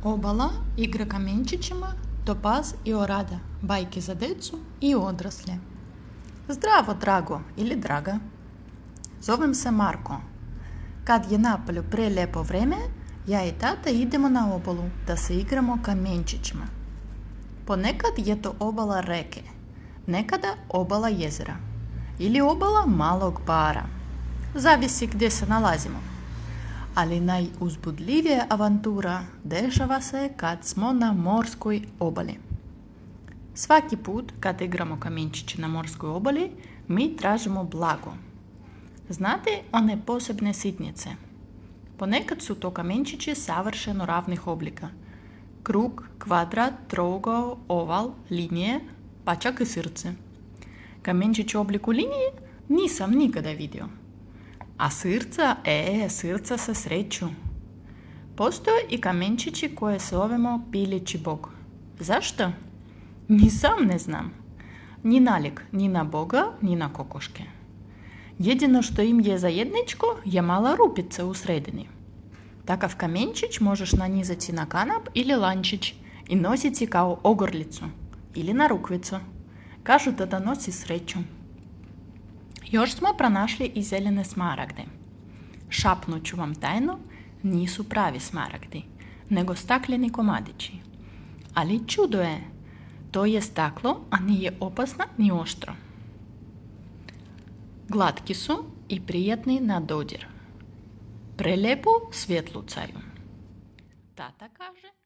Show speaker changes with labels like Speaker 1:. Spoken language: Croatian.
Speaker 1: Obala igra kamenčićima, topaz i orada, bajke za decu i odrasle. Zdravo, drago ili draga. Zovem se Marko. Kad je napolju prelijepo vreme, ja i tata idemo na obalu da se igramo kamenčićima. Ponekad je to obala reke, nekada obala jezera ili obala malog bara. Zavisi gdje se nalazimo. Ali najuzbudljivija avantura dešava se kad smo na morskoj obali. Svaki put kad igramo kamenčiće na morskoj obali, mi tražimo blago. Znate one posebne sitnice? Ponekad su to kamenčići savršeno ravnih oblika. Krug, kvadrat, trougao, oval, linije, pa čak i srce. Kamenčić u obliku linije nisam nikada vidio. A srca se sreću. Postoje i kamenčići koje zovemo pilići bog. Zašto? Ni sam ne znam. Ni nalik ni na boga, ni na kokoške. Jedino što im je zajedničko je mala rupica u sredini. Takav kamenčić možeš nanizati na kanap ili lančić i nositi kao ogrlicu ili na rukvicu. Kažu da nosi sreću. Još smo pronašli i zelene smaragde. Šapnut ću vam tajno, nisu pravi smaragdi, nego stakleni komadići. Ali čudo je, to je staklo, a nije opasno ni oštro. Glatki su i prijatni na dodir. Prelijepo svjetlucaju. Tata kaže